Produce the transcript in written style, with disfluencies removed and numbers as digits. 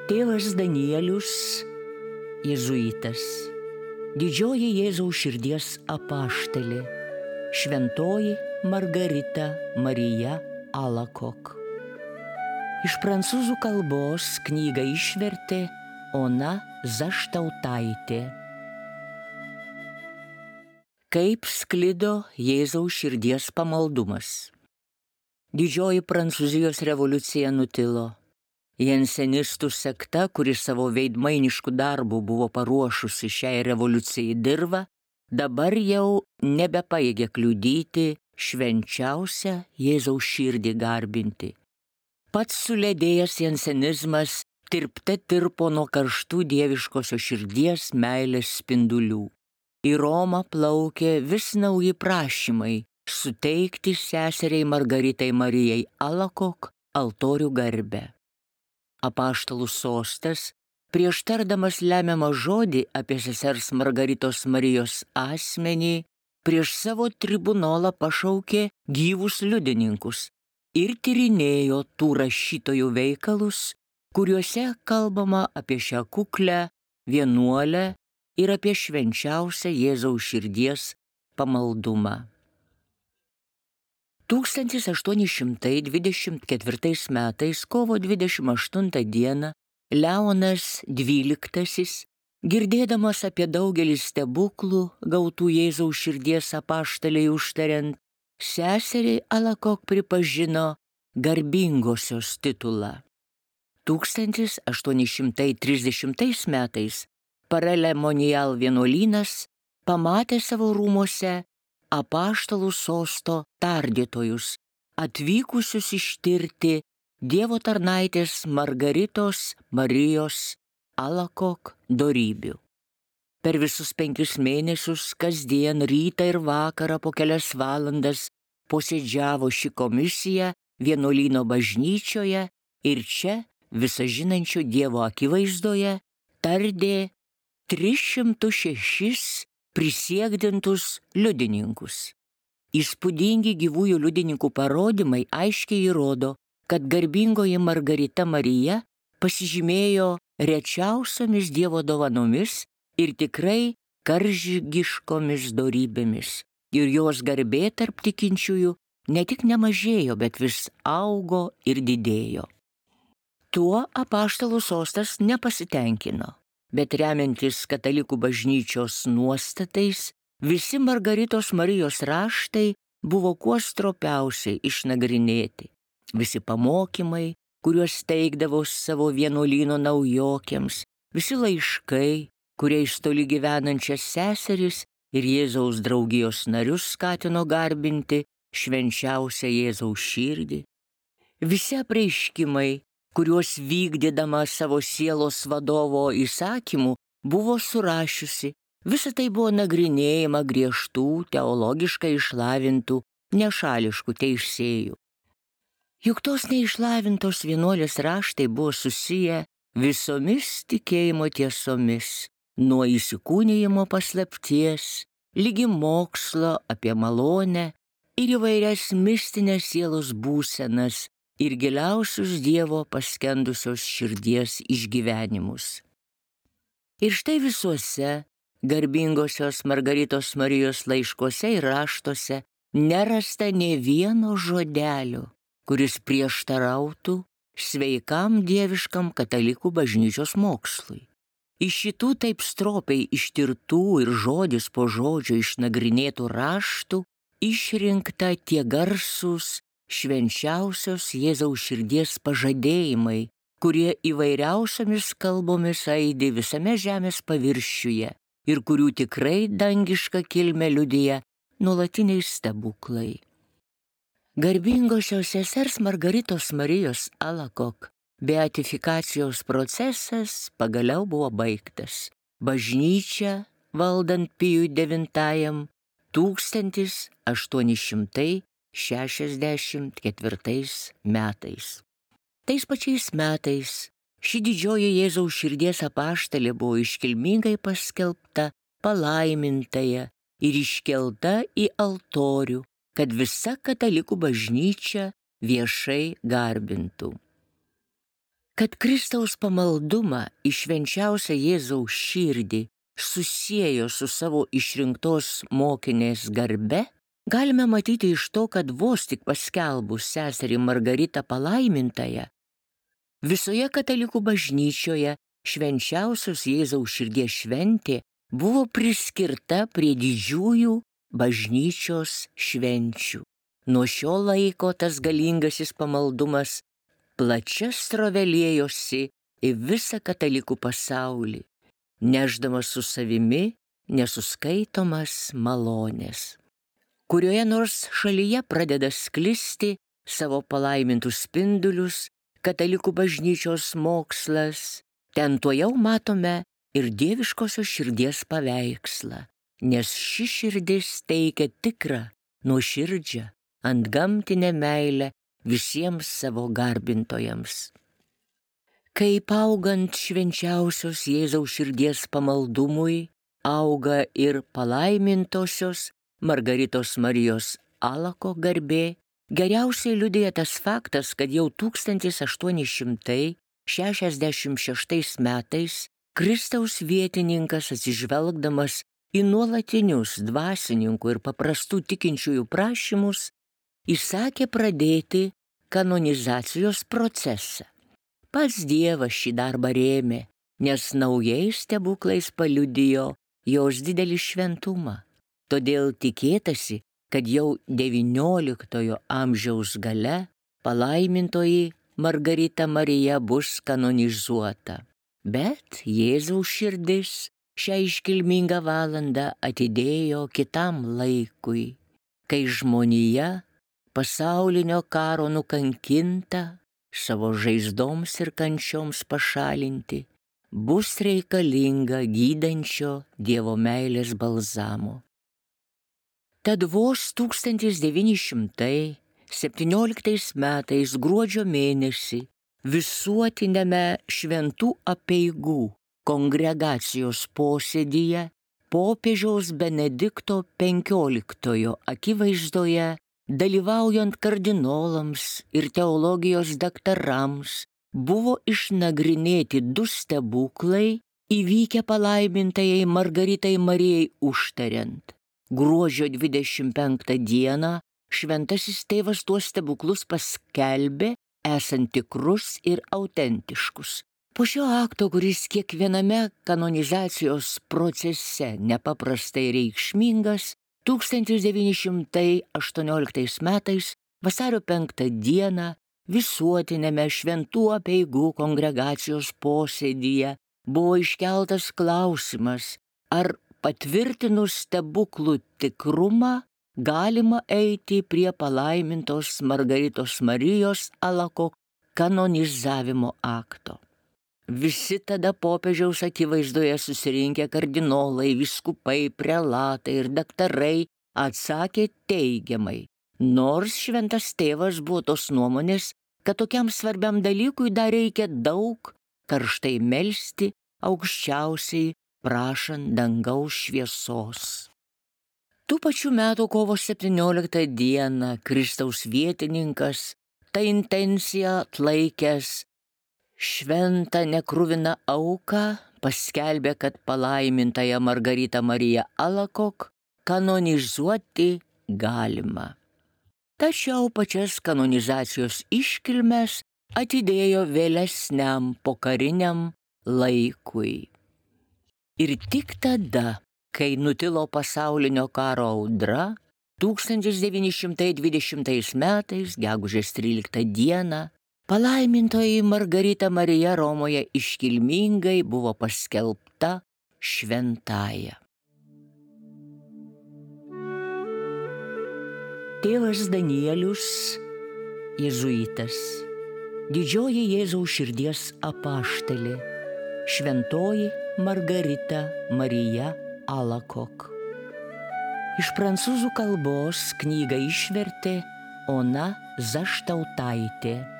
Tėvas Danielius, jėzuitas, didžioji Jėzaus širdies apaštalė, šventoji Margarita Marija Alacoque. Iš prancūzų kalbos knygą išvertė Ona Zaštautaitė. Kaip sklido Jėzaus širdies pamaldumas. Didžioji Prancūzijos revoliucija nutilo. Jensenistų sekta, kuri savo veidmainiškų darbų buvo paruošusi šiai revoliucijai dirvą, dabar jau nebepajėgė kliudyti švenčiausią Jėzaus širdį garbinti. Pats suledėjęs jensenizmas tirpte tirpo nuo karštų dieviškosios širdies meilės spindulių. Į Romą plaukė vis nauji prašymai suteikti seseriai Margaritai Marijai Alacoque altorių garbę. Apaštalų sostas, prieš tardamas lemiamą žodį apie sesers Margaritos Marijos asmenį, prieš savo tribunolą pašaukė gyvus liudininkus ir tyrinėjo tų rašytojų veikalus, kuriuose kalbama apie šią kuklę vienuolę ir apie švenčiausią Jėzaus širdies pamaldumą. 1824 metais kovo 28 dieną Leonas XII, girdėdamas apie daugelį stebuklų gautų Jėzaus širdies apaštalei užtariant, seseriai Alacoque pripažino garbingosios titulą. 1830 metais Parelemonial vienuolynas pamatė savo rūmuose apaštalų sosto tardytojus, atvykusius ištirti Dievo tarnaitės Margaritos Marijos Alacoque dorybių. Per visus 5 mėnesius kasdien rytą ir vakarą po kelias valandas posėdžiavo ši komisija vienuolyno bažnyčioje ir čia, visažinančio Dievo akivaizdoje, tardė 306 prisiekdintus liudininkus. Įspūdingi gyvųjų liudininkų parodymai aiškiai įrodo, kad garbingoji Margarita Marija pasižymėjo rečiausiomis Dievo dovanomis ir tikrai karžygiškomis dorybėmis. Ir jos garbė tarp tikinčiųjų ne tik nemažėjo, bet vis augo ir didėjo. Tuo apaštalų sostas nepasitenkino. Bet remiantis katalikų bažnyčios nuostatais, visi Margaritos Marijos raštai buvo kuo stropiausiai išnagrinėti. Visi pamokymai, kuriuos teikdavo savo vienuolyno naujokėms, visi laiškai, kuriais toli gyvenančias seseris ir Jėzaus draugijos narius skatino garbinti švenčiausią Jėzaus širdį. Visi apreiškimai, kuriuos vykdydama savo sielos vadovo įsakymų buvo surašiusi, visa tai buvo nagrinėjama griežtų, teologiškai išlavintų, nešališkų teisėjų. Juk tos neišlavintos vienuolės raštai buvo susiję visomis tikėjimo tiesomis, nuo įsikūnijimo paslapties, ligi mokslo apie malonę ir įvairias mistinės sielos būsenas, ir giliausius Dievo paskendusios širdies išgyvenimus. Ir štai visuose garbingosios Margaritos Marijos laiškuose ir raštuose nerasta nė vieno žodelio, kuris prieštarautų sveikam dieviškam katalikų bažnyčios mokslui. Iš šitų taip stropiai ištirtų ir žodis po žodžio išnagrinėtų raštų išrinkta tie garsūs švenčiausios Jėzaus širdies pažadėjimai, kurie įvairiausiomis kalbomis aidi visame žemės paviršiuje ir kurių tikrai dangiška kilmė liudija nuolatiniai stebuklai. Garbingosios sesers Margaritos Marijos Alacoque beatifikacijos procesas pagaliau buvo baigtas. Bažnyčia, valdant Pijui IX, 1864 metais. Tais pačiais metais ši didžioji Jėzaus širdies apaštalė buvo iškilmingai paskelbta palaimintąja ir iškelta į altorių, kad visa katalikų bažnyčia viešai garbintų. Kad Kristaus pamaldumą į švenčiausią Jėzaus širdį susiejo su savo išrinktos mokinės garbe, galime matyti iš to, kad vos tik paskelbus seserį Margaritą palaimintąją, visoje katalikų bažnyčioje švenčiausios Jėzaus širdies šventė buvo priskirta prie didžiųjų bažnyčios švenčių. Nuo šio laiko tas galingasis pamaldumas plačia srove liejosi į visą katalikų pasaulį, nešdamas su savimi nesuskaitomas malonės. Kurioje nors šalyje pradeda sklisti savo palaimintus spindulius katalikų bažnyčios mokslas, ten tuojau matome ir dieviškosios širdies paveikslą, nes ši širdis teikia tikrą, nuoširdžią, antgamtinę meilę visiems savo garbintojams. Kaip augant švenčiausios Jėzaus širdies pamaldumui, auga ir palaimintosios Margaritos Marijos Alako garbė, geriausiai liudija tas faktas, kad jau 1866 metais Kristaus vietininkas, atsižvelgdamas į nuolatinius dvasininkų ir paprastų tikinčiųjų prašymus, įsakė pradėti kanonizacijos procesą. Pats Dievas šį darbą rėmė, nes naujais stebuklais paliudijo jos didelį šventumą. Todėl tikėtasi, kad jau XIX amžiaus gale palaimintoji Margarita Marija bus kanonizuota. Bet Jėzaus širdis šią iškilmingą valandą atidėjo kitam laikui, kai žmonija pasaulinio karo nukankinta, savo žaizdoms ir kančioms pašalinti, bus reikalinga gydančio Dievo meilės balzamo. Tad vos 1917 metais gruodžio mėnesį visuotiniame šventų apeigų kongregacijos posėdyje popiežiaus Benedikto XV akivaizdoje, dalyvaujant kardinolams ir teologijos daktarams, buvo išnagrinėti 2 stebuklai įvykę palaimintajai Margaritai Marijai užtariant. Gruodžio 25 dieną šventasis tėvas tuos stebuklus paskelbė esant tikrus ir autentiškus. Po šio akto, kuris kiekviename kanonizacijos procese nepaprastai reikšmingas, 1918 metais vasario 5 dieną visuotiniame šventų apeigų kongregacijos posėdyje buvo iškeltas klausimas, ar patvirtinus stebuklų tikrumą galima eiti prie palaimintos Margaritos Marijos Alako kanonizavimo akto. Visi tada popiežiaus akivaizdoje susirinkę kardinolai, vyskupai, prelatai ir daktarai atsakė teigiamai, nors šventas tėvas buvo tos nuomonės, kad tokiam svarbiam dalykui dar reikia daug karštai melsti aukščiausiai, prašant dangaus šviesos. Tų pačių metų kovo 17 dieną Kristaus vietininkas tą intenciją atlaikęs šventą nekruviną auką paskelbė, kad palaimintąją Margaritą Mariją Alakok kanonizuoti galima. Tačiau pačias kanonizacijos iškilmes atidėjo vėlesniam pokariniam laikui. Ir tik tada, kai nutilo pasaulinio karo audra, 1920 metais, gegužės 13 dieną, palaimintoji Margarita Marija Romoje iškilmingai buvo paskelbta šventąja. Tėvas Danielius, jėzuitas, didžioji Jėzaus širdies apaštalė, šventoji Margarita Marija Alakok. Iš prancūzų kalbos knygą išvertė Ona Zaštautaitė.